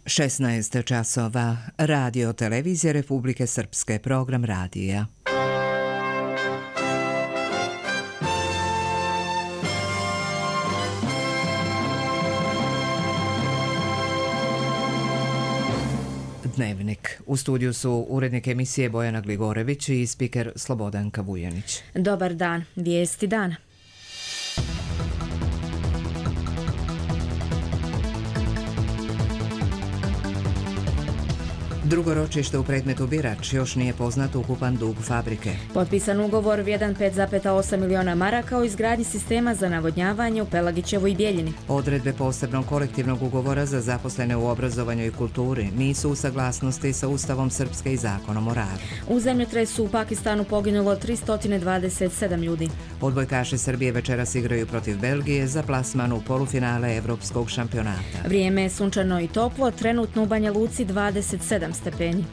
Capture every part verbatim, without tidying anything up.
šesnaest časova. Radio Televizije Republike Srpske, program radija. Dnevnik. U studiju su urednik emisije Bojana Gligorević i spiker Slobodanka Vujanić. Dobar dan. Vijesti dana. Drugo ročište u predmetu Birač, još nije poznat ukupan dug fabrike. Potpisan ugovor vrijedan pet zarez osam miliona maraka o izgradnji sistema za navodnjavanje u Pelagićevoj i Bijeljini. Odredbe posebnog kolektivnog ugovora za zaposlene u obrazovanju i kulturi nisu u saglasnosti sa Ustavom Srpske i Zakonom o radu. U zemljotresu u Pakistanu poginulo tristo dvadeset sedam ljudi. Odbojkaši Srbije večeras igraju protiv Belgije za plasman u polufinale Evropskog šampionata. Vrijeme je sunčano i toplo, trenutno u Banja Luci dvadeset sedam stepeni.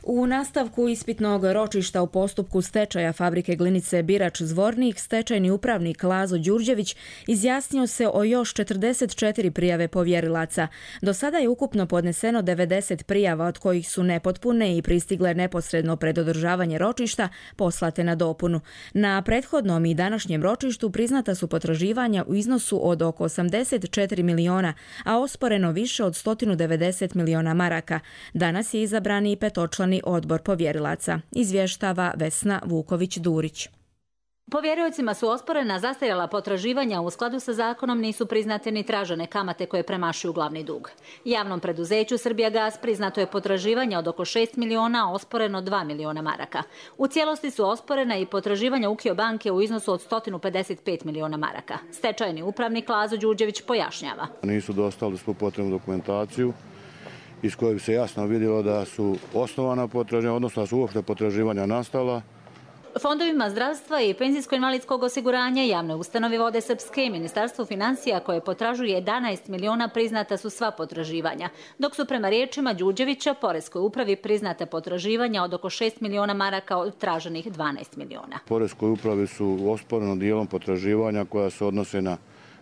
U nastavku ispitnog ročišta u postupku stečaja fabrike glinice Birač Zvornik, stečajni upravnik Lazo Đurđević izjasnio se o još četrdeset četiri prijave povjerilaca. Do sada je ukupno podneseno devedeset prijava, od kojih su nepotpune i pristigle neposredno pred održavanje ročišta poslate na dopunu. Na prethodnom i današnjem ročištu priznata su potraživanja u iznosu od oko osamdeset četiri miliona, a osporeno više od sto devedeset miliona maraka. Danas je izabrani i petočlani odbor povjerilaca, izvještava Vesna Vuković-Durić. Povjeriocima su osporena zastarjela potraživanja, u skladu sa zakonom nisu priznate ni tražene kamate koje premašuju glavni dug. Javnom preduzeću Srbijagas priznato je potraživanja od oko šest miliona, a osporeno dva miliona maraka. U cijelosti su osporena i potraživanja Ukio banke u iznosu od sto pedeset pet miliona maraka. Stečajni upravnik Lazo Đurđević pojašnjava. Nisu dostavili svu potrebnu dokumentaciju iz koje bi se jasno vidjelo da su osnovana potraživanja, odnosno da su uopšte potraživanja nastala. Fondovima zdravstva i penzijsko-invalidskog osiguranja, javne ustanove Vode Srpske i Ministarstvo financija, koje potražuje jedanaest miliona, priznata su sva potraživanja, dok su prema riječima Đurđevića poreskoj upravi priznata potraživanja od oko šest miliona maraka od traženih dvanaest miliona. Poreskoj upravi su osporeno dijelom potraživanja koja se odnose na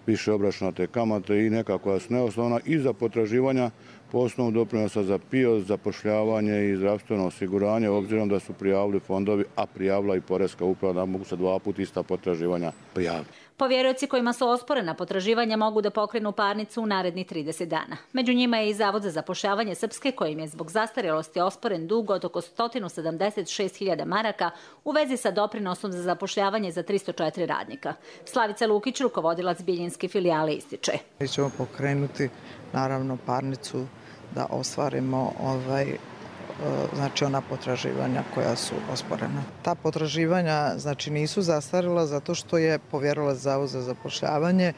više obračunate kamate i neka koja su neosnovna i za potraživanja po osnovu doprinosa za P I O, zapošljavanje i zdravstveno osiguranje, obzirom da su prijavili fondovi, a prijavila i poreska uprava, da mogu se dva puta ista potraživanja prijaviti. Povjerioci kojima su osporena potraživanja mogu da pokrenu parnicu u narednih trideset dana. Među njima je i Zavod za zapošljavanje Srpske, kojim je zbog zastarjelosti osporen dug od oko sto sedamdeset šest hiljada maraka u vezi sa doprinosom za zapošljavanje za tristo četiri radnika. Slavica Lukić, rukovodilac bijeljinske filijale, ističe. Mi ćemo pokrenuti naravno parnicu da ostvarimo ovaj znači ona potraživanja koja su osporena. Ta potraživanja znači nisu zastarila zato što je povjerilac Zavod za zapošljavanje,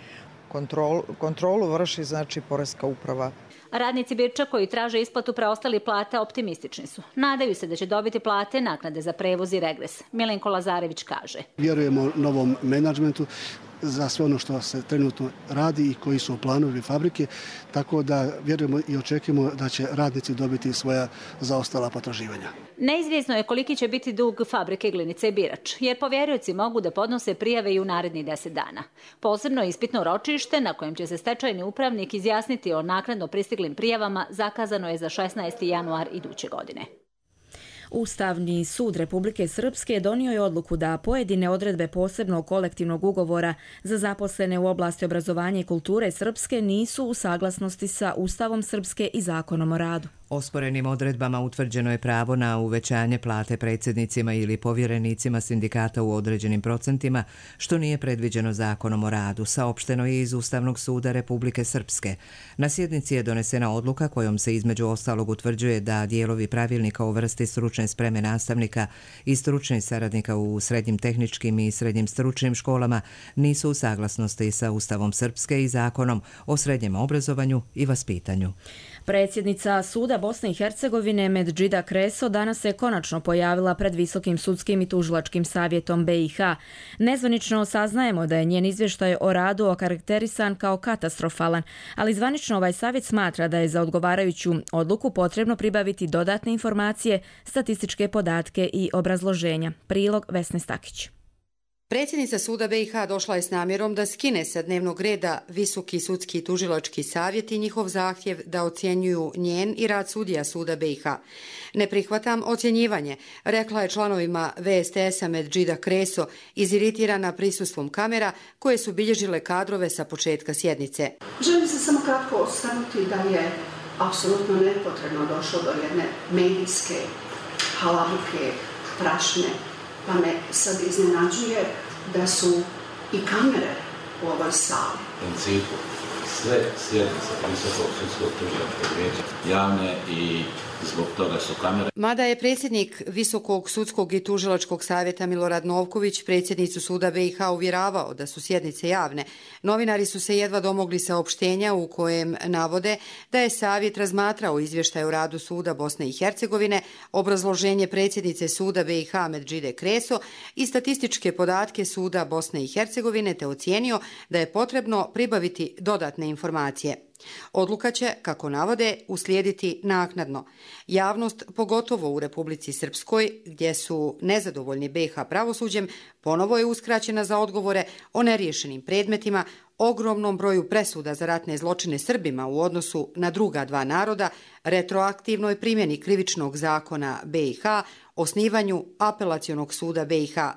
kontrol, kontrolu vrši znači poreska uprava. Radnici Birča koji traže isplatu preostalih plata optimistični su. Nadaju se da će dobiti plate, naknade za prevoz i regres. Milenko Lazarević kaže. Vjerujemo novom menadžmentu za sve ono što se trenutno radi i koji su planovi fabrike, tako da vjerujemo i očekujemo da će radnici dobiti svoja zaostala potraživanja. Neizvjesno je koliki će biti dug fabrike glinice Birač, jer povjerioci mogu da podnose prijave i u narednih deset dana. Posebno ispitno ročište na kojem će se stečajni upravnik izjasniti o naknadno pristiglim prijavama zakazano je za šesnaesti januar iduće godine. Ustavni sud Republike Srpske donio je odluku da pojedine odredbe posebnog kolektivnog ugovora za zaposlene u oblasti obrazovanja i kulture Srpske nisu u saglasnosti sa Ustavom Srpske i Zakonom o radu. Osporenim odredbama utvrđeno je pravo na uvećanje plate predsjednicima ili povjerenicima sindikata u određenim procentima, što nije predviđeno Zakonom o radu, saopšteno je iz Ustavnog suda Republike Srpske. Na sjednici je donesena odluka kojom se između ostalog utvrđuje da dijelovi pravilnika o vrsti stručne spreme nastavnika i stručnih saradnika u srednjim tehničkim i srednjim stručnim školama nisu u saglasnosti sa Ustavom Srpske i Zakonom o srednjem obrazovanju i vaspitanju. Predsjednica suda Bosne i Hercegovine Medžida Kreso danas se konačno pojavila pred Visokim sudskim i tužilačkim savjetom B i H. Nezvanično saznajemo da je njen izvještaj o radu okarakterisan kao katastrofalan, ali zvanično ovaj savjet smatra da je za odgovarajuću odluku potrebno pribaviti dodatne informacije, statističke podatke i obrazloženja. Prilog Vesne Stakić. Predsjednica suda be i ha došla je s namjerom da skine sa dnevnog reda Visoki sudski tužilački savjet i njihov zahtjev da ocjenjuju njen i rad sudija suda be i ha. Ne prihvatam ocjenjivanje, rekla je članovima ve es te esa Medžida Kreso, iziritirana prisustvom kamera koje su bilježile kadrove sa početka sjednice. Želim se samo kratko osvrnuti da je apsolutno nepotrebno došlo do jedne medijske halabuke, prašne, pa me sad iznenađuje da su i kamere u ovoj sali. U principu, sve sjednice Visokog sudskog tužilačkog vijeća javne i zbog toga su kamere. Mada je predsjednik Visokog sudskog i tužilačkog savjeta Milorad Novković predsjednicu suda be i ha uvjeravao da su sjednice javne, novinari su se jedva domogli saopštenja u kojem navode da je savjet razmatrao izvještaj o radu suda Bosne i Hercegovine, obrazloženje predsjednice suda be i ha Medžide Kreso i statističke podatke suda Bosne i Hercegovine, te ocijenio da je potrebno pribaviti dodatne informacije. Odluka će, kako navode, uslijediti naknadno. Javnost, pogotovo u Republici Srpskoj, gdje su nezadovoljni be i ha pravosuđem, ponovo je uskraćena za odgovore o neriješenim predmetima, ogromnom broju presuda za ratne zločine Srbima u odnosu na druga dva naroda, retroaktivnoj primjeni krivičnog zakona be i ha, osnivanju apelacionog suda be i ha.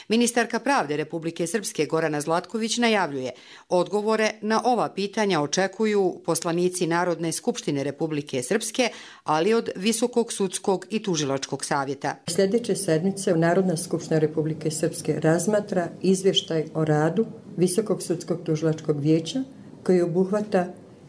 Ministarka pravde Republike Srpske Gorana Zlatković najavljuje, odgovore na ova pitanja očekuju poslanici Narodne skupštine Republike Srpske, ali od Visokog sudskog i tužilačkog savjeta. Sljedeće sedmice Narodna skupština Republike Srpske razmatra izvještaj o radu Visokog sudskog tužilačkog vijeća koji obuhvata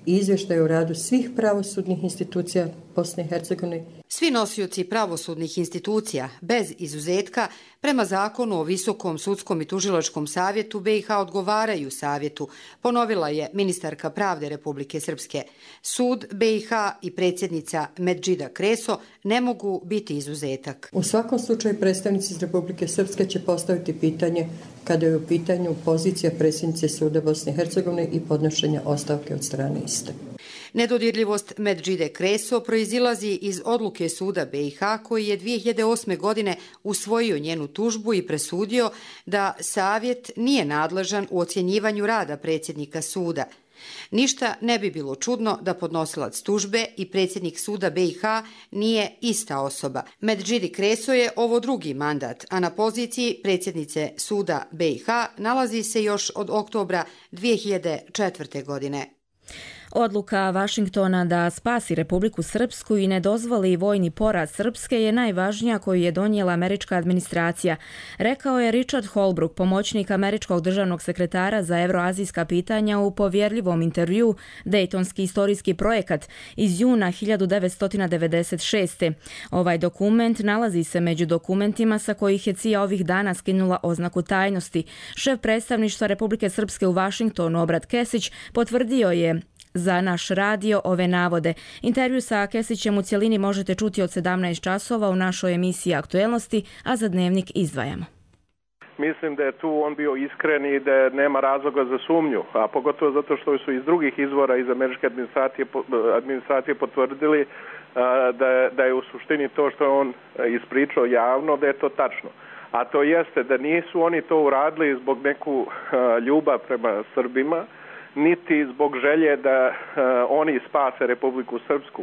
izvještaj o radu svih pravosudnih institucija Bosne i Hercegovine. Svi nosioci pravosudnih institucija, bez izuzetka, prema zakonu o Visokom sudskom i tužilačkom savjetu be i ha odgovaraju savjetu, ponovila je ministarka pravde Republike Srpske. Sud be i ha i predsjednica Medžida Kreso ne mogu biti izuzetak. U svakom slučaju predstavnici iz Republike Srpske će postaviti pitanje kada je u pitanju pozicija predsjednice suda Bosne i Hercegovine i podnošenja ostavke od strane iste. Nedodirljivost Medžide Kreso proizilazi iz odluke suda be i ha koji je dvije hiljade osme. godine usvojio njenu tužbu i presudio da savjet nije nadležan u ocjenjivanju rada predsjednika suda. Ništa ne bi bilo čudno da podnosilac tužbe i predsjednik suda be i ha nije ista osoba. Medžidi Kreso je ovo drugi mandat, a na poziciji predsjednice suda be i ha nalazi se još od oktobra dvije hiljade četvrte. godine. Odluka Vašingtona da spasi Republiku Srpsku i ne dozvoli vojni poraz Srpske je najvažnija koju je donijela američka administracija, rekao je Richard Holbrooke, pomoćnik američkog državnog sekretara za evroazijska pitanja u povjerljivom intervju Dejtonski istorijski projekat iz juna hiljadu devetsto devedeset šeste. Ovaj dokument nalazi se među dokumentima sa kojih je C I A ovih dana skinula oznaku tajnosti. Šef predstavništva Republike Srpske u Vašingtonu, Obrat Kesić, potvrdio je za naš radio ove navode. Intervju sa Kesićem u cjelini možete čuti od sedamnaest časova u našoj emisiji Aktuelnosti, a za Dnevnik izdvajamo. Mislim da je tu on bio iskren i da nema razloga za sumnju, a pogotovo zato što su iz drugih izvora iz američke administracije, administracije potvrdili da je, da je u suštini to što je on ispričao javno, da je to tačno. A to jeste da nisu oni to uradili zbog neku ljubav prema Srbima, niti zbog želje da uh, oni spase Republiku Srpsku.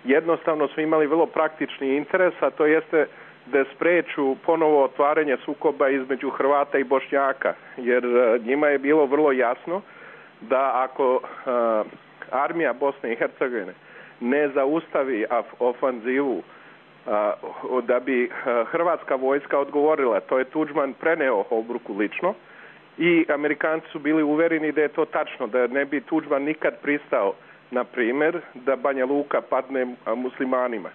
Jednostavno su imali vrlo praktični interes, a to jeste da spreču ponovo otvaranje sukoba između Hrvata i Bošnjaka, jer uh, njima je bilo vrlo jasno da ako uh, armija Bosne i Hercegovine ne zaustavi ofanzivu, uh, da bi uh, hrvatska vojska odgovorila. To je Tuđman preneo Holbrooku lično, i Amerikanci su bili uvereni da je to tačno, da ne bi Tuđman nikad pristao, na primjer, da Banja Luka padne muslimanima.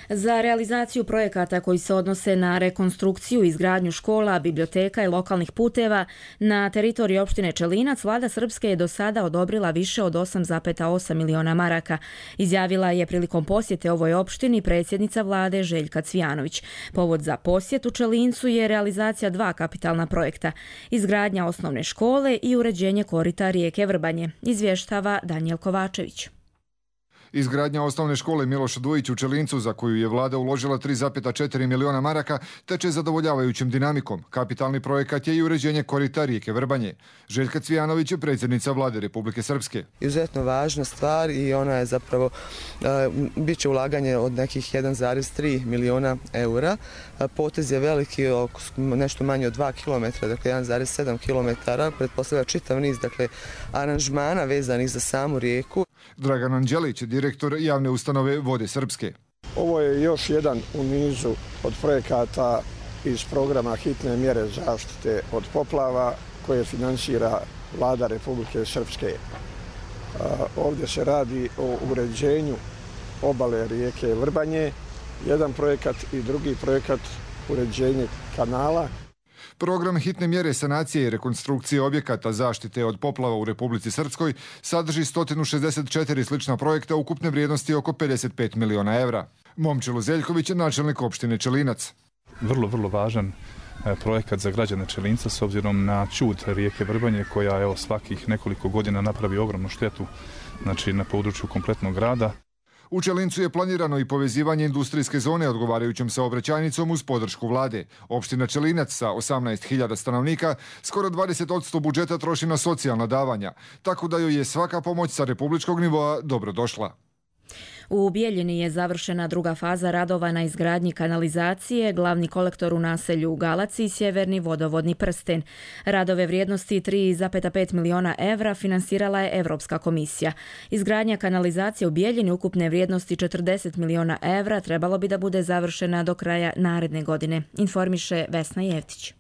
Za realizaciju projekata koji se odnose na rekonstrukciju i izgradnju škola, biblioteka i lokalnih puteva na teritoriji opštine Čelinac, vlada Srpske je do sada odobrila više od osam zarez osam miliona maraka. Izjavila je prilikom posjete ovoj opštini predsjednica vlade Željka Cvijanović. Povod za posjet u Čelincu je realizacija dva kapitalna projekta, izgradnja osnovne škole i uređenje korita rijeke Vrbanje, izvještava Danijel Kovačević. Izgradnja osnovne škole Miloš Dujić u Čelincu, za koju je vlada uložila tri zarez četiri miliona maraka, teče zadovoljavajućim dinamikom. Kapitalni projekat je i uređenje korita rijeke Vrbanje. Željka Cvijanović je predsjednica vlade Republike Srpske. Izuzetno važna stvar i ona je zapravo, bit će ulaganje od nekih jedan zarez tri miliona eura. Potez je veliki, oko nešto manje od dva kilometra, dakle jedan zarez sedam kilometara. Pretpostavlja čitav niz, dakle, aranžmana vezanih za samu rijeku. Dragan Anđelić, direktor javne ustanove Vode Srpske. Ovo je još jedan u nizu od projekata iz programa hitne mjere zaštite od poplava koje finansira vlada Republike Srpske. Ovdje se radi o uređenju obale rijeke Vrbanje, jedan projekat i drugi projekat uređenje kanala. Program hitne mjere sanacije i rekonstrukcije objekata zaštite od poplava u Republici Srpskoj sadrži sto šezdeset četiri slična projekta ukupne vrijednosti oko pedeset pet miliona evra. Momčilo Zeljković je načelnik opštine Čelinac. Vrlo, vrlo važan projekat za građane Čelinca s obzirom na čud rijeke Vrbanje koja evo svakih nekoliko godina napravi ogromnu štetu, znači na području kompletnog grada. U Čelincu je planirano i povezivanje industrijske zone odgovarajućom saobraćajnicom uz podršku vlade. Opština Čelinac sa osamnaest hiljada stanovnika skoro dvadeset posto budžeta troši na socijalna davanja, tako da joj je svaka pomoć sa republičkog nivoa dobro došla. U Bijeljini je završena druga faza radova na izgradnji kanalizacije, glavni kolektor u naselju u Galaci i sjeverni vodovodni prsten. Radove vrijednosti tri zarez pet miliona evra finansirala je Evropska komisija. Izgradnja kanalizacije u Bijeljini ukupne vrijednosti četrdeset miliona evra trebalo bi da bude završena do kraja naredne godine, informiše Vesna Jevtić.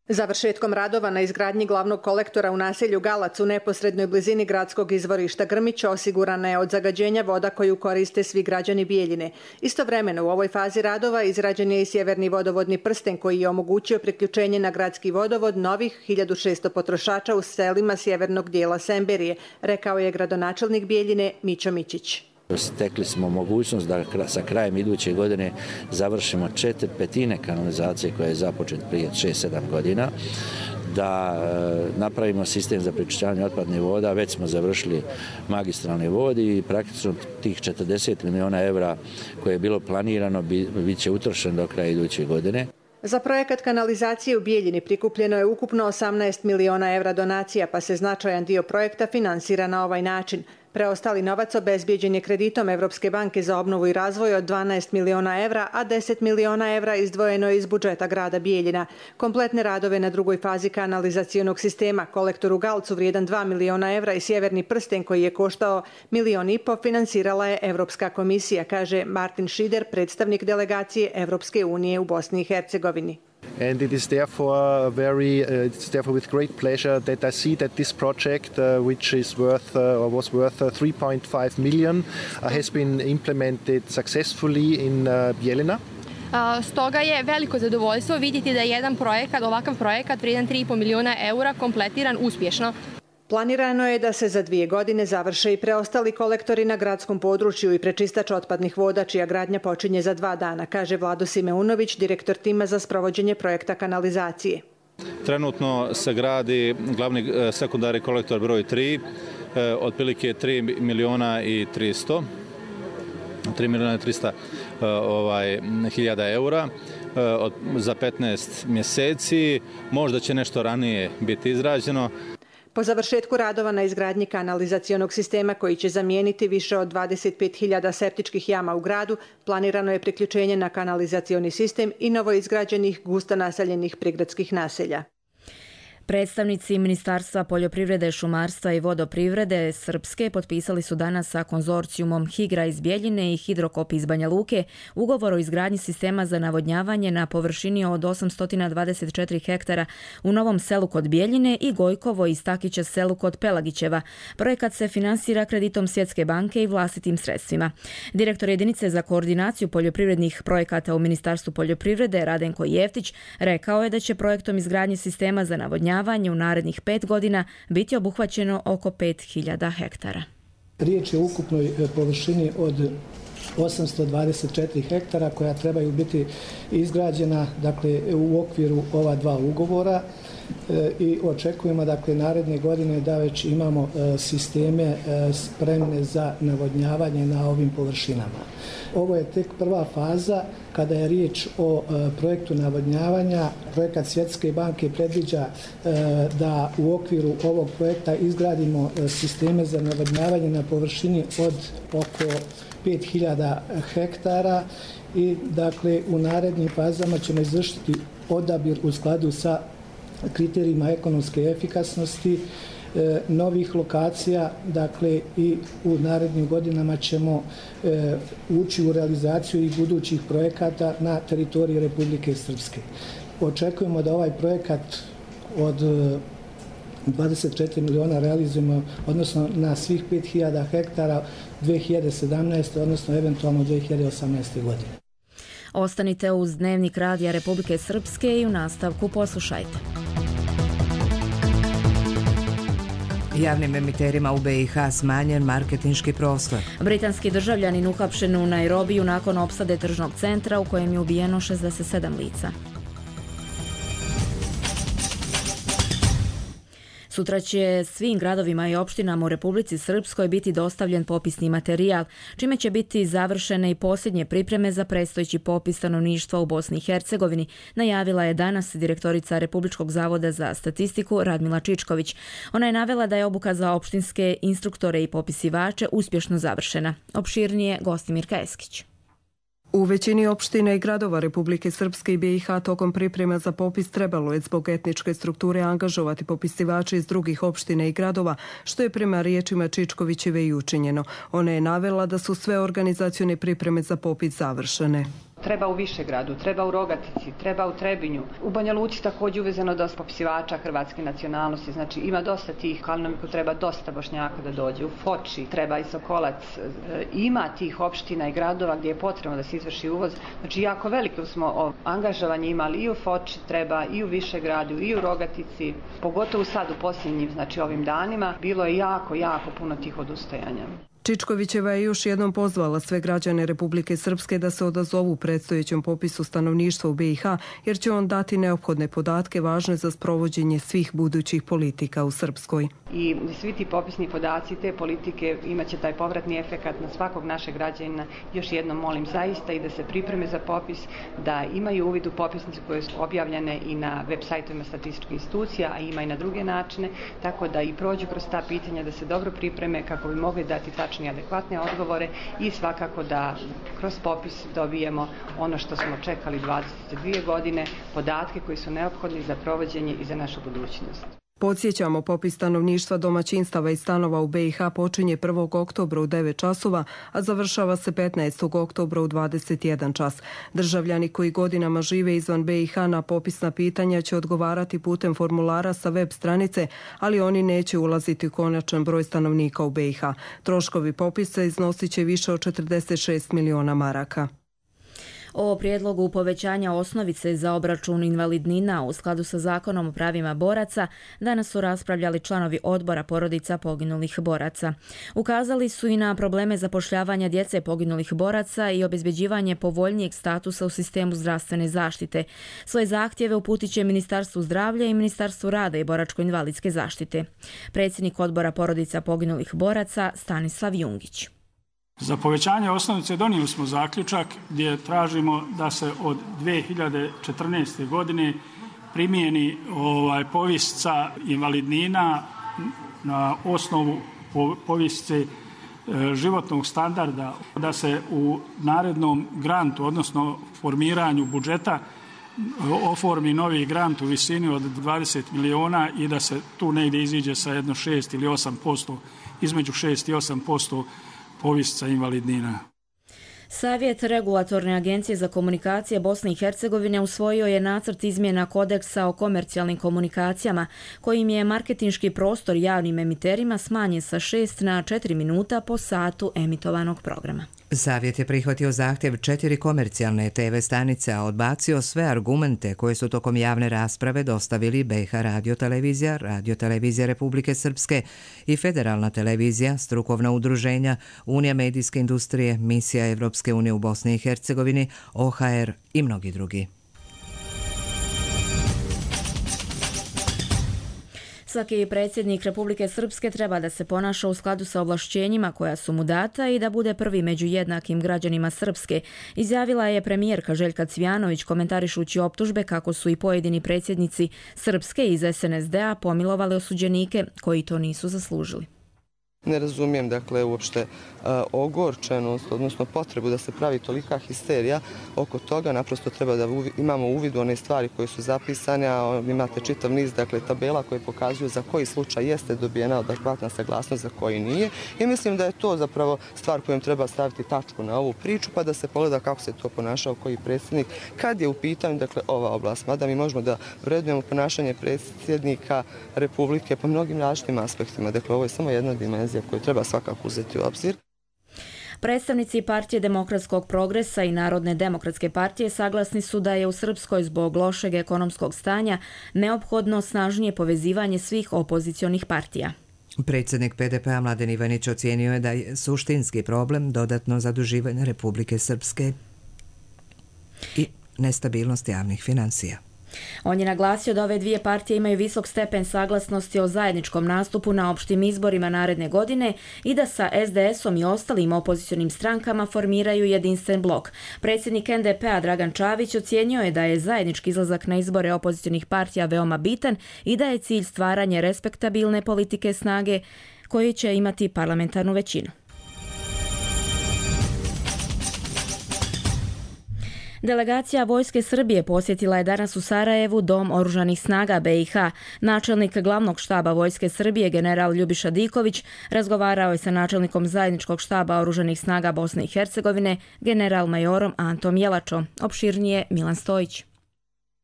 Završetkom radova na izgradnji glavnog kolektora u naselju Galac u neposrednoj blizini gradskog izvorišta Grmić osigurana je od zagađenja voda koju koriste svi građani Bijeljine. Istovremeno u ovoj fazi radova izrađen je i sjeverni vodovodni prsten koji je omogućio priključenje na gradski vodovod novih hiljadu šesto potrošača u selima sjevernog dijela Semberije, rekao je gradonačelnik Bijeljine Mićo Mićić. Stekli smo mogućnost da sa krajem iduće godine završimo četiri petine kanalizacije koja je započet prije šest sedam godina, da napravimo sistem za priključavanje otpadnih voda, već smo završili magistralne vodi i praktično tih četrdeset miliona evra koje je bilo planirano bit će utrošeno do kraja iduće godine. Za projekat kanalizacije u Bijeljini prikupljeno je ukupno osamnaest miliona evra donacija, pa se značajan dio projekta finansira na ovaj način. Preostali novac obezbijeđen je kreditom Evropske banke za obnovu i razvoj od dvanaest miliona evra, a deset miliona evra izdvojeno je iz budžeta grada Bijeljina. Kompletne radove na drugoj fazi kanalizacionog sistema, kolektor u Galcu vrijedan dva miliona evra i sjeverni prsten koji je koštao milion i po finansirala je Evropska komisija, kaže Martin Šider, predstavnik delegacije Evropske unije u Bosni i Hercegovini. And it is therefore very, uh, it's therefore with great pleasure that I see that this project, uh, which is worth uh, or was worth uh, three point five million, uh, has been implemented successfully in uh, Bijeljina. Stoga je veliko zadovoljstvo vidjeti da je jedan projekat, ovakav projekat vrijedan tri i po miliona eura kompletiran uspješno. Planirano je da se za dvije godine završe i preostali kolektori na gradskom području i prečistač otpadnih voda, čija gradnja počinje za dva dana, kaže Vlado Simeunović, direktor tima za sprovođenje projekta kanalizacije. Trenutno se gradi glavni sekundarni kolektor broj tri, otprilike tri miliona i tristo, tri miliona i trista ovaj, hiljada eura za petnaest mjeseci. Možda će nešto ranije biti izrađeno. Po završetku radova na izgradnji kanalizacionog sistema koji će zamijeniti više od dvadeset pet hiljada septičkih jama u gradu, planirano je priključenje na kanalizacioni sistem i novoizgrađenih gusto naseljenih prigradskih naselja. Predstavnici Ministarstva poljoprivrede, šumarstva i vodoprivrede Srpske potpisali su danas sa konzorcijumom Higra iz Bijeljine i Hidrokop iz Banja Luke ugovor o izgradnji sistema za navodnjavanje na površini od osamsto dvadeset četiri hektara u Novom Selu kod Bijeljine i Gojkovo i Stakića selu kod Pelagićeva. Projekat se finansira kreditom Svjetske banke i vlastitim sredstvima. Direktor jedinice za koordinaciju poljoprivrednih projekata u Ministarstvu poljoprivrede Radenko Jeftić rekao je da će projektom izgradnje sistema za navodnjavanje u narednih pet godina biti obuhvaćeno oko pet hiljada hektara. Riječ je o ukupnoj površini od osamsto dvadeset četiri hektara koja trebaju biti izgrađena dakle, u okviru ova dva ugovora. i očekujemo dakle naredne godine da već imamo sisteme spremne za navodnjavanje na ovim površinama. Ovo je tek prva faza. Kada je riječ o projektu navodnjavanja, projekat Svjetske banke predviđa da u okviru ovog projekta izgradimo sisteme za navodnjavanje na površini od oko pet hiljada hektara i dakle u narednim fazama ćemo izvršiti odabir u skladu sa kriterijima ekonomske efikasnosti novih lokacija, dakle i u narednim godinama ćemo e, ući u realizaciju i budućih projekata na teritoriji Republike Srpske. Očekujemo da ovaj projekat od dvadeset četiri miliona realizujemo, odnosno na svih pet hiljada hektara dvije hiljade sedamnaeste. odnosno eventualno dvije hiljade osamnaeste. godine. Ostanite uz Dnevnik Radija Republike Srpske i u nastavku poslušajte. Javnim emiterima u B i H smanjen marketinški prostor. Britanski državljanin uhapšen u Nairobiju nakon opsade tržnog centra u kojem je ubijeno šezdeset sedam lica. Sutra će svim gradovima i opštinama u Republici Srpskoj biti dostavljen popisni materijal, čime će biti završene i posljednje pripreme za predstojeći popis stanovništva u Bosni i Hercegovini, najavila je danas direktorica Republičkog zavoda za statistiku Radmila Čičković. Ona je navela da je obuka za opštinske instruktore i popisivače uspješno završena. Opširnije Gostimirka Eskić. U većini opština i gradova Republike Srpske i B i H tokom priprema za popis trebalo je zbog etničke strukture angažovati popisivače iz drugih opština i gradova, što je prema riječima Čičkovićeve i učinjeno. Ona je navela da su sve organizacione pripreme za popis završene. Treba u Višegradu, treba u Rogatici, treba u Trebinju. U Banja Luci također uvezeno dosta popisivača hrvatske nacionalnosti, znači ima dosta tih, Kalinoviku treba dosta Bošnjaka da dođe, u Foči treba i Sokolac. Ima tih opština i gradova gdje je potrebno da se izvrši uvoz, znači jako veliko smo angažovanje imali i u Foči treba, i u Višegradu, i u Rogatici, pogotovo sad u posljednjim, znači ovim danima, bilo je jako, jako puno tih odustajanja. Čičkovićeva je još jednom pozvala sve građane Republike Srpske da se odazovu predstojećem popisu stanovništva u B i H, jer će on dati neophodne podatke važne za sprovođenje svih budućih politika u Srpskoj. I svi ti popisni podaci, te politike imat će taj povratni efekat na svakog našeg građanina. Još jednom molim zaista i da se pripreme za popis, da imaju uvid u popisnice koje su objavljene i na web sajtovima statističkih institucija, a ima i na druge načine, tako da i prođu kroz ta pitanja, da se dobro pripreme kako bi mogli dati tačne i adekvatne odgovore i svakako da kroz popis dobijemo ono što smo čekali dvadeset dvije godine, podatke koji su neophodni za provođenje i za našu budućnost. Podsjećamo, popis stanovništva domaćinstava i stanova u B i H počinje prvog oktobra u devet časova, a završava se petnaestog oktobra u dvadeset jedan čas. Državljani koji godinama žive izvan B i H na popisna pitanja će odgovarati putem formulara sa web stranice, ali oni neće ulaziti u konačan broj stanovnika u B i H. Troškovi popisa iznosit će više od četrdeset šest miliona maraka. O prijedlogu povećanja osnovice za obračun invalidnina u skladu sa zakonom o pravima boraca danas su raspravljali članovi odbora porodica poginulih boraca. Ukazali su i na probleme zapošljavanja djece poginulih boraca i obezbeđivanje povoljnijeg statusa u sistemu zdravstvene zaštite. Svoje zahtjeve uputit će Ministarstvu zdravlja i Ministarstvu rada i boračko-invalidske zaštite. Predsjednik odbora porodica poginulih boraca Stanislav Jungić. Za povećanje osnovice donijeli smo zaključak gdje tražimo da se od dvije hiljade četrnaeste. godine primijeni ovaj povišica invalidnina na osnovu povišice e, životnog standarda, da se u narednom grantu, odnosno formiranju budžeta, oformi novi grant u visini od dvadeset miliona i da se tu negdje iziđe sa jedno šest ili osam posto, između šest i osam posto povišica invalidnina. Savjet Regulatorne agencije za komunikacije Bosne i Hercegovine usvojio je nacrt izmjena kodeksa o komercijalnim komunikacijama, kojim je marketinški prostor javnim emiterima smanjen sa šest na četiri minuta po satu emitovanog programa. Savjet je prihvatio zahtjev četiri komercijalne te ve stanice, a odbacio sve argumente koje su tokom javne rasprave dostavili B i H radiotelevizija, Radiotelevizija Republike Srpske i Federalna televizija, strukovna udruženja, Unija medijske industrije, Misija Evropske unije u Bosni i Hercegovini, O H R i mnogi drugi. svaki predsjednik Republike Srpske treba da se ponaša u skladu sa ovlašćenjima koja su mu data i da bude prvi među jednakim građanima Srpske, izjavila je premijerka Željka Cvijanović komentarišući optužbe kako su i pojedini predsjednici Srpske iz S N S D-a pomilovali osuđenike koji to nisu zaslužili. Ne razumijem, dakle, uopšte uh, ogorčenost, odnosno potrebu da se pravi tolika histerija oko toga. Naprosto treba da uvi, imamo uvid u one stvari koje su zapisane, a imate čitav niz, dakle, tabela koje pokazuju za koji slučaj jeste dobijena adekvatna saglasnost, za koji nije. I mislim da je to zapravo stvar kojom treba staviti tačku na ovu priču, pa da se pogleda kako se to ponašao koji predsjednik kad je u pitanju, dakle, ova oblast. Mada mi možemo da vrednujemo ponašanje predsjednika Republike po mnogim različitim aspektima. Dakle, ovo je samo jedna dimenzija koju treba svakako uzeti u obzir. Predstavnici Partije demokratskog progresa i Narodne demokratske partije saglasni su da je u Srpskoj zbog lošeg ekonomskog stanja neophodno snažnije povezivanje svih opozicionih partija. Predsjednik P D P-a Mladen Ivanić ocijenio je da je suštinski problem dodatno zaduživanje Republike Srpske i nestabilnost javnih finansija. On je naglasio da ove dvije partije imaju visok stepen saglasnosti o zajedničkom nastupu na opštim izborima naredne godine i da sa S D S-om i ostalim opozicionim strankama formiraju jedinstven blok. Predsjednik N D P-a Dragan Čavić ocijenio je da je zajednički izlazak na izbore opozicionih partija veoma bitan i da je cilj stvaranje respektabilne politike snage koji će imati parlamentarnu većinu. Delegacija Vojske Srbije posjetila je danas u Sarajevu Dom oružanih snaga B i H. Načelnik glavnog štaba Vojske Srbije, general Ljubiša Diković, razgovarao je sa načelnikom zajedničkog štaba oružanih snaga Bosne i Hercegovine, general majorom Antom Jelačom. Opširnije Milan Stojić.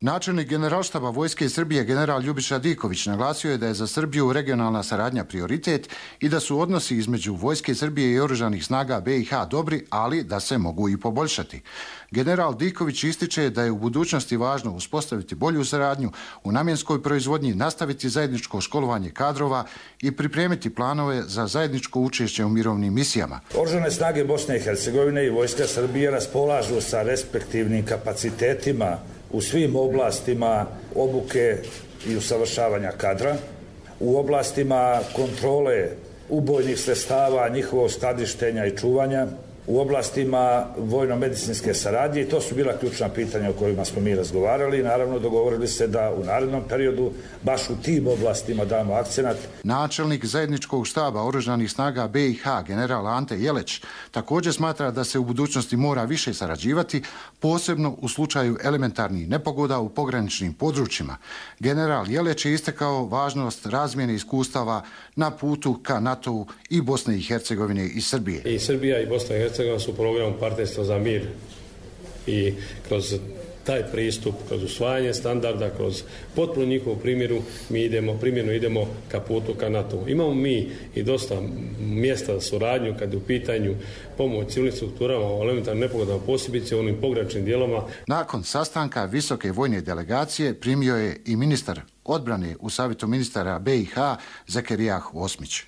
Načelnik generalštaba Vojske Srbije general Ljubiša Diković naglasio je da je za Srbiju regionalna saradnja prioritet i da su odnosi između Vojske Srbije i oružanih snaga B i H dobri, ali da se mogu i poboljšati. General Diković ističe da je u budućnosti važno uspostaviti bolju saradnju u namjenskoj proizvodnji, nastaviti zajedničko školovanje kadrova i pripremiti planove za zajedničko učešće u mirovnim misijama. Oružane snage Bosne i Hercegovine i Vojska Srbije raspolažu sa respektivnim kapacitetima u svim oblastima obuke i usavršavanja kadra, u oblastima kontrole ubojnih sredstava, njihovog skladištenja i čuvanja, u oblastima vojno-medicinske saradnje i to su bila ključna pitanja o kojima smo mi razgovarali i naravno dogovorili se da u narednom periodu baš u tim oblastima damo akcenat. Načelnik zajedničkog štaba oružanih snaga B i H general Ante Jeleć također smatra da se u budućnosti mora više sarađivati, posebno u slučaju elementarnih nepogoda u pograničnim područjima. General Jeleć je istakao važnost razmjene iskustava na putu ka NATO-u i Bosne i Hercegovine i Srbije. I Srbija i Bosna i Hercegovina su u programu Partnerstvo za mir i kroz taj pristup, kroz usvajanje standarda, kroz potpuno njihovu primjeru, mi idemo, primjenu idemo ka putu ka NATO. Imamo mi i dosta mjesta za suradnju kad je u pitanju pomoć civilnim strukturama o elementarnim nepogodama, posebice u onim pograničnim dijelovima. Nakon sastanka visoke vojne delegacije primio je i ministar odbrane u Savjetu ministara B i H Zakerijah Osmić.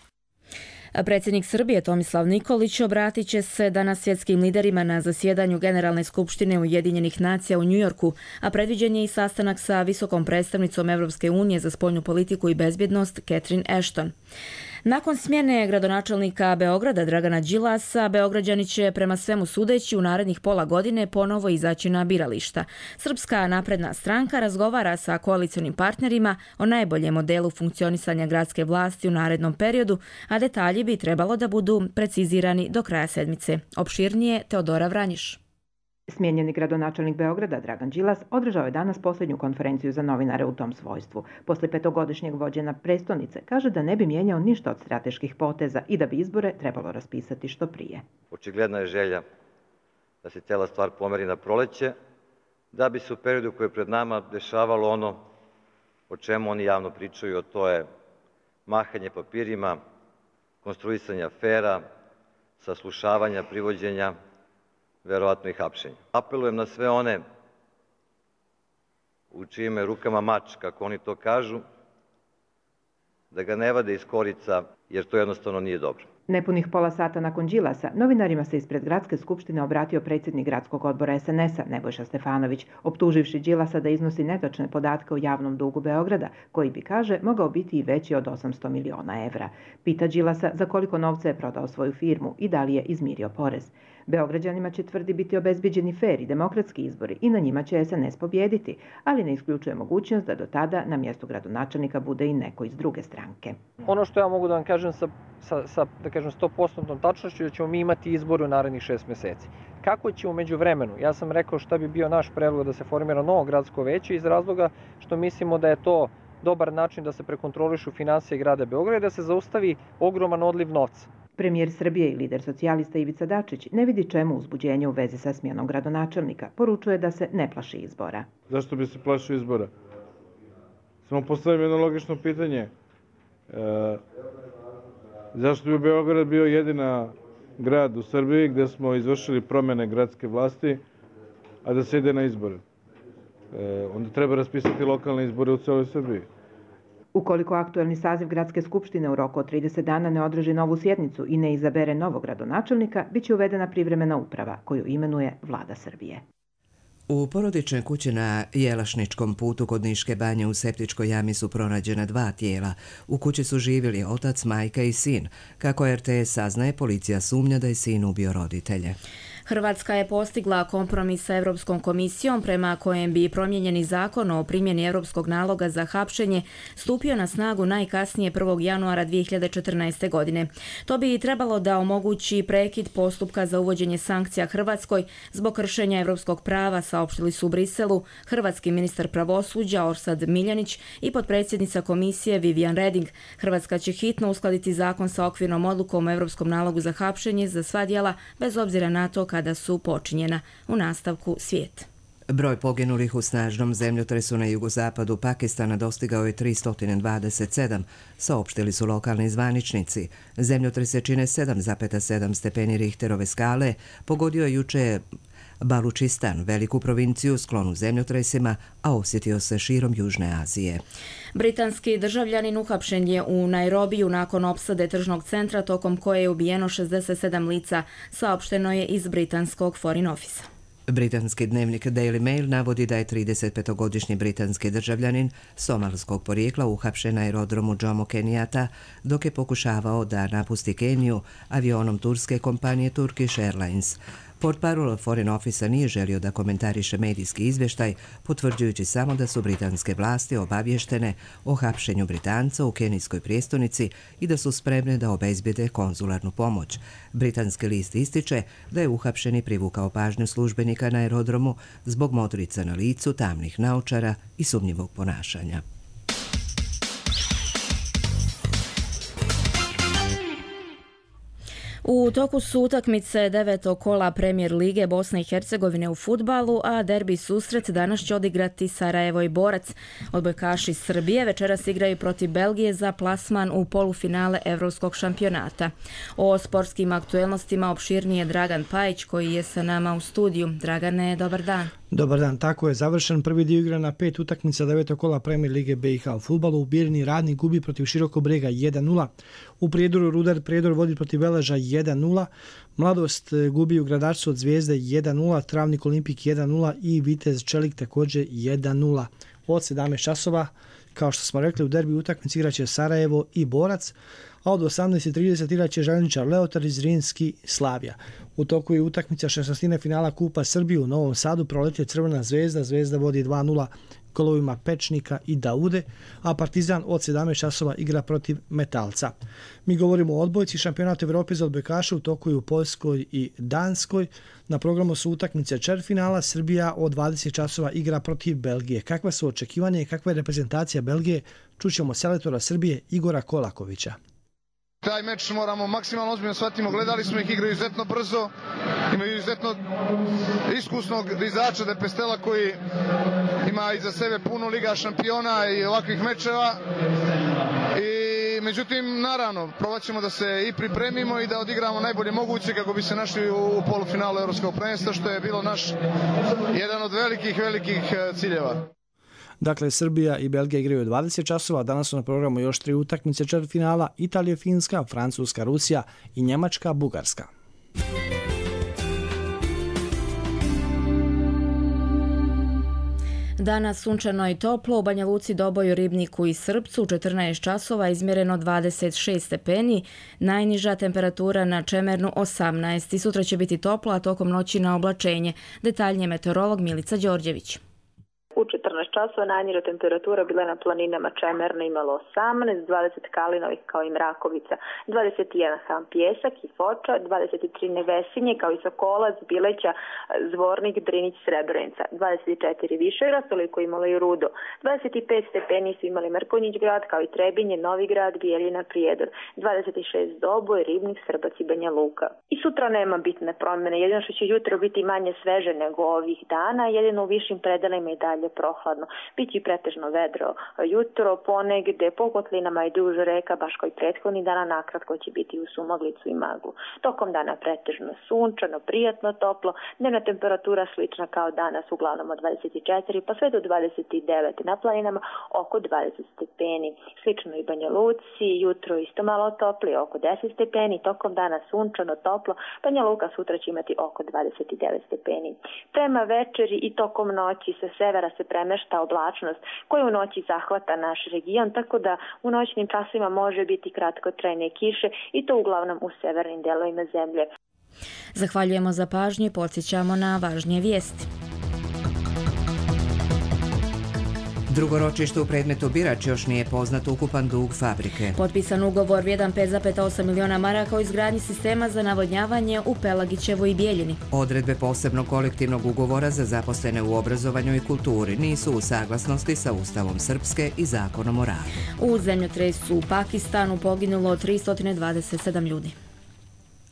Predsjednik Srbije Tomislav Nikolić obratit će se danas svjetskim liderima na zasjedanju Generalne skupštine Ujedinjenih nacija u Njujorku, a predviđen je i sastanak sa visokom predstavnicom Evropske unije za spoljnu politiku i bezbjednost Catherine Ashton. Nakon smjene gradonačelnika Beograda Dragana Đilasa, Beograđani će prema svemu sudeći u narednih pola godine ponovo izaći na birališta. Srpska napredna stranka razgovara sa koalicionim partnerima o najboljem modelu funkcionisanja gradske vlasti u narednom periodu, a detalji bi trebalo da budu precizirani do kraja sedmice. Opširnije Teodora Vranjiš. Smijenjeni gradonačelnik Beograda Dragan Đilas održao je danas posljednju konferenciju za novinare u tom svojstvu. Posle petogodišnjeg vođenja prestonice kaže da ne bi mijenjao ništa od strateških poteza i da bi izbore trebalo raspisati što prije. Očigledna je želja da se cijela stvar pomeri na proleće, da bi se u periodu koji je pred nama dešavalo ono o čemu oni javno pričaju, a to je mahanje papirima, konstruisanje afera, saslušavanja, privođenja, verovatno i hapšenja. Apelujem na sve one u čijim je rukama mač, kako oni to kažu, da ga ne vade iz korica, jer to jednostavno nije dobro. Nepunih pola sata nakon Đilasa, novinarima se ispred Gradske skupštine obratio predsjednik Gradskog odbora es en es-a Nebojša Stefanović, optuživši Đilasa da iznosi netočne podatke o javnom dugu Beograda, koji bi, kaže, mogao biti i veći od osamsto miliona evra. Pita Đilasa za koliko novca je prodao svoju firmu i da li je izmirio porez. Beograđanima će, tvrdi, biti obezbiđeni fer i demokratski izbori i na njima će es en es pobijediti, ali ne isključuje mogućnost da do tada na mjestu gradonačelnika bude i neko iz druge stranke. Ono što ja mogu da vam kažem sa, sa, sa da kažem sto posto tačnošću, da ćemo mi imati izbor u narednih šest mjeseci. Kako će umeđu vremenu? Ja sam rekao šta bi bio naš predlog da se formira novo gradsko veće iz razloga što mislimo da je to dobar način da se prekontrolišu finansije grada Beograda i da se zaustavi ogroman odliv novca. Premijer Srbije i lider socijalista Ivica Dačić ne vidi čemu uzbuđenje u vezi sa smjenom gradonačelnika. Poručuje da se ne plaši izbora. Zašto bi se plašio izbora? Samo postavim jedno logično pitanje. E, zašto bi Beograd bio jedina grad u Srbiji gdje smo izvršili promjene gradske vlasti, a da se ide na izbore? E, onda treba raspisati lokalne izbore u cijeloj Srbiji. Ukoliko aktuelni saziv Gradske skupštine u roku od trideset dana ne održi novu sjednicu i ne izabere novog gradonačelnika, bit će uvedena privremena uprava koju imenuje Vlada Srbije. U porodičnoj kući na Jelašničkom putu kod Niške banje u septičkoj jami su pronađena dva tijela. U kući su živjeli otac, majka i sin. Kako er te es saznaje, policija sumnja da je sin ubio roditelje. Hrvatska je postigla kompromis sa Europskom komisijom prema kojem bi promijenjeni zakon o primjeni europskog naloga za hapšenje stupio na snagu najkasnije prvog januara dvije hiljade četrnaeste. godine. To bi trebalo da omogući prekid postupka za uvođenje sankcija Hrvatskoj zbog kršenja europskog prava, saopštili su u Briselu hrvatski ministar pravosuđa Orsat Miljanić i potpredsjednica komisije Vivian Reding. Hrvatska će hitno uskladiti zakon sa okvirnom odlukom o europskom nalogu za hapšenje za sva djela bez obzira na to kada su počinjena. U nastavku svijet. Broj poginulih u snažnom zemljotresu na jugozapadu Pakistana dostigao je tristo dvadeset sedam, saopštili su lokalni zvaničnici. Zemljotrese čine sedam zarez sedam stepeni Richterove skale, pogodio je juče Balučistan, veliku provinciju sklonu zemljotresima, a osjetio se širom Južne Azije. Britanski državljanin uhapšen je u Nairobiju nakon opsade tržnog centra tokom koje je ubijeno šezdeset sedam lica, saopšteno je iz britanskog Foreign Office. Britanski dnevnik Daily Mail navodi da je tridesetpetogodišnji britanski državljanin somalskog porijekla uhapšen na aerodromu Jomo Kenyatta dok je pokušavao da napusti Keniju avionom turske kompanije Turkish Airlines. Portparol Foreign Office nije želio da komentariše medijski izvještaj, potvrđujući samo da su britanske vlasti obavještene o hapšenju Britanca u kenijskoj prijestolnici i da su spremne da obezbijede konzularnu pomoć. Britanski list ističe da je uhapšeni privukao pažnju službenika na aerodromu zbog modrica na licu, tamnih naočara i sumnjivog ponašanja. U toku su utakmice devetog kola Premier lige Bosne i Hercegovine u fudbalu, a derbi susret danas će odigrati Sarajevo i Borac. Odbojkaši Srbije večeras igraju protiv Belgije za plasman u polufinale Evropskog šampionata. O sportskim aktuelnostima opširnije Dragan Pajić koji je sa nama u studiju. Dragane, dobar dan. Dobar dan, tako je završen prvi dio igre na pet utakmica devetog kola Premier lige be i ha u fudbalu. U Birni Radnik gubi protiv Širokog Brega jedan nula. U Prijedoru Rudar Prijedor vodi protiv Veleža jedan nula. Mladost gubi u Gradarcu od Zvijezde jedan nula, Travnik Olimpik jedan nula i Vitez Čelik također jedan nula. Od sedamnaest časova, kao što smo rekli, u derbi utakmici igraće Sarajevo i Borac, a od osamnaest i trideset igraće Željničar Leotar i Zrinski Slavija. U toku je utakmica šesnaestine finala Kupa Srbije u Novom Sadu, proletio Crvena Zvezda, Zvezda vodi dva nula golovima Pečnika i Daude, a Partizan od sedamnaest časova igra protiv Metalca. Mi govorimo o odbojci šampionata Evrope za odbojkaše, u toku je u Poljskoj i Danskoj. Na programu su utakmice četvrtfinala, Srbija od dvadeset časova igra protiv Belgije. Kakva su očekivanja i kakva je reprezentacija Belgije? Čućemo selektora Srbije Igora Kolakovića. Taj meč moramo maksimalno ozbiljno shvatimo, gledali smo ih, igraju izuzetno brzo, imaju izuzetno iskusnog dizača Depestela koji ima iza sebe puno Liga šampiona i ovakvih mečeva. I međutim, naravno, probat ćemo da se i pripremimo i da odigramo najbolje moguće kako bi se našli u polufinalu Evropskog prvenstva, što je bilo naš jedan od velikih, velikih ciljeva. Dakle, Srbija i Belgija igraju dvadeset časova, danas su na programu još tri utakmice četvrtfinala: Italija, Finska, Francuska, Rusija i Njemačka, Bugarska. Danas sunčano i toplo, u Banja Luci, Doboju, Ribniku i Srpcu u četrnaest časova izmjereno dvadeset šest stepeni, najniža temperatura na Čemernu osamnaest. I sutra će biti toplo, a tokom noći na oblačenje. Detaljnije meteorolog Milica Đorđević. U četrnaest časova najniža temperatura bila na planinama Čemerna imalo osamnaest, dvadeset Kalinovih kao i Mrakovica, dvadeset jedan Ham Pjesak i Foča, dvadeset tri Nevesinje kao i Sokolac, Bileća, Zvornik, Drinić, Srebrenica, dvadeset četiri Višegrad, toliko imalo i Rudo, dvadeset pet stepeni su imali Mrkonjić grad kao i Trebinje, Novigrad, Bijeljina, Prijedor, dvadeset šest Doboj, Ribnik, Srbac i Banja Luka. I sutra nema bitne promjene, jedino što će jutro biti manje sveže nego ovih dana, jedino u višim predelima i dalje prohladno. Biće pretežno vedro jutro, ponegde po kotlinama i duž reka, baš kao i prethodni dana, nakratko će biti u sumaglicu i maglu. Tokom dana pretežno sunčano, prijatno, toplo, dnevna temperatura slična kao danas, uglavnom od dvadeset četiri pa sve do dvadeset devet, na planinama oko dvadeset stepeni. Slično i Banja Luci, jutro isto malo topli, oko deset stepeni, tokom dana sunčano, toplo, Banja Luka sutra će imati oko dvadeset devet stepeni. Prema večeri i tokom noći sa severa se premešta oblačnost koja u noći zahvata naš region, tako da u noćnim časovima može biti kratkotrajne kiše i to uglavnom u severnim delovima zemlje. Zahvaljujemo za pažnju i podsjećamo na važnije vijesti. Drugo ročište u predmetu Birač još nije poznat ukupan dug fabrike. Potpisan ugovor vrijedan pet zarez osam miliona maraka o izgradnji sistema za navodnjavanje u Pelagićevoj i Bijeljini. Odredbe posebnog kolektivnog ugovora za zaposlene u obrazovanju i kulturi nisu u saglasnosti sa Ustavom Srpske i Zakonom o radu. U zemljotresu u Pakistanu poginulo tristo dvadeset sedam ljudi.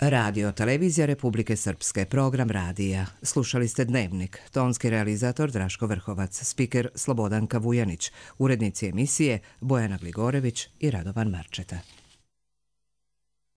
Radio Televizija Republike Srpske, program radija. Slušali ste Dnevnik, tonski realizator Draško Vrhovac, spiker Slobodanka Vujanić, urednici emisije Bojana Gligorević i Radovan Marčeta.